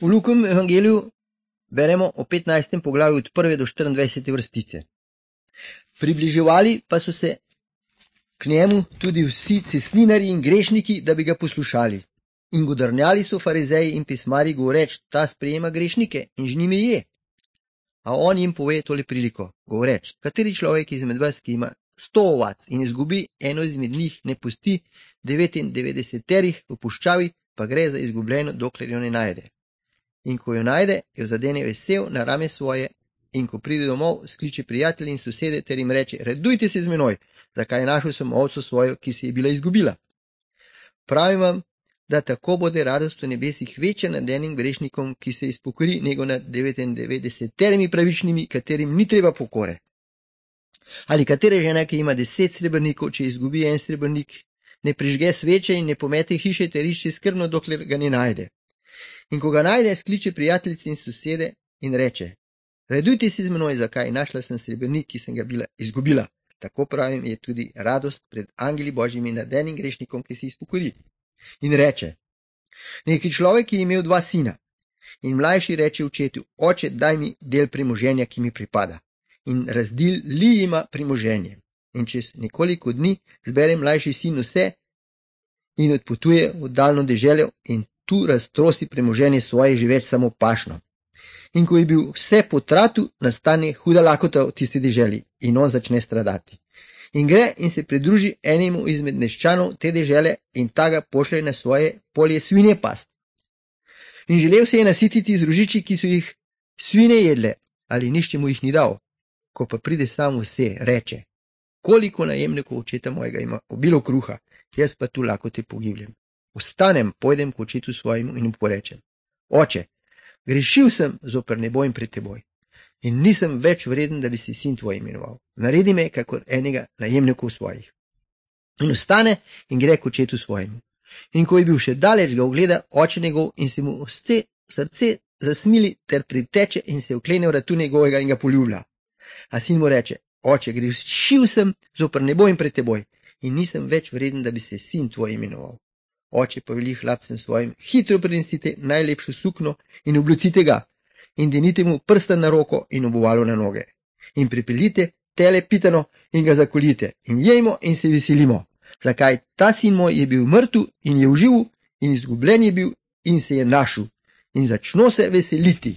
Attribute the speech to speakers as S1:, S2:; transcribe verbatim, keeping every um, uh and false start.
S1: V Lukovem evangeliju beremo o petnajstem poglavju od prve do štiriindvajsete vrstice. Približevali pa so se k njemu tudi vsi cestninarji in grešniki, da bi ga poslušali. In godrnjali so farizeji in pismarji govoreč, ta sprejema grešnike in z njimi je. A on jim pove tole priliko, govoreč, kateri človek izmed vas, ki ima sto ovac in izgubi eno izmed njih, ne pusti devetindevetdeseterih v puščavi, pa gre za izgubljeno, dokler jo ne najde. In ko jo najde, jo zadene vesel na rame svoje, in ko pride domov, skliče prijatelji in sosede ter jim reče, radujte se z menoj, zakaj našel sem ovco svojo, ki se je bila izgubila. Pravim vam, da tako bude radost v nebesih večja nad enim grešnikom, ki se izpokori, nego nad devetindevetdeseterimi pravičnimi, katerim ni treba pokore. Ali katera žena, ki ima deset srebrnikov, če izgubi en srebrnik, ne prižge sveče in ne pomete hiše ter išče skrbno, dokler ga ne najde. In ko ga najde, skliče prijateljice in sosede in reče, radujte se z menoj, zakaj našla sem srebrnik, ki sem ga bila izgubila. Tako pravim, je tudi radost pred angeli božjimi nad enim grešnikom, ki se izpokori. In reče, neki človek je imel dva sina. In mlajši reče očetu, oče, daj mi del premoženja, ki mi pripada. In razdeli jima premoženje. In čez nekoliko dni zbere mlajši sin vse in odpotuje v daljno deželo in tu raztrosti premoženje svoje že več samo pašno. In ko je bil vse potratu, nastane huda lakota v tisti deželi in on začne stradati. In gre in se pridruži enemu izmed meščanov te dežele in ta ga pošlje na svoje polje svinje past. In želel se je nasititi z rožiči, ki so jih svine jedle, ali nišče mu jih ni dal. Ko pa pride sam vse, reče, koliko najemnikov očeta mojega ima obilo kruha, jaz pa tu lakote pogibljam. Vstanem, pojdem k očetu svojemu in mu porečem, oče, grešil sem zoper nebo in pred teboj in nisem več vreden, da bi se sin tvoj imenoval. Naredi me, kakor enega najemnikov svojih. In vstane in gre k očetu svojemu. In ko je bil še daleč, ga ogleda oče njegov in se mu vse srce zasmili ter priteče in se oklene vratu njegovega in ga poljublja. A sin mu reče, oče, grešil sem zoper nebo in pred teboj in nisem več vreden, da bi se sin tvoj imenoval. Oče pa veli hlapcem svojim, hitro prinesite najlepšo sukno in oblecite ga in denite mu prsten na roko in obuvalo na noge. In pripeljite tele pitano in ga zakolite in jejmo in se veselimo. Zakaj ta sin moj je bil mrtev in je uživel in izgubljen je bil in se je našel in začno se veseliti.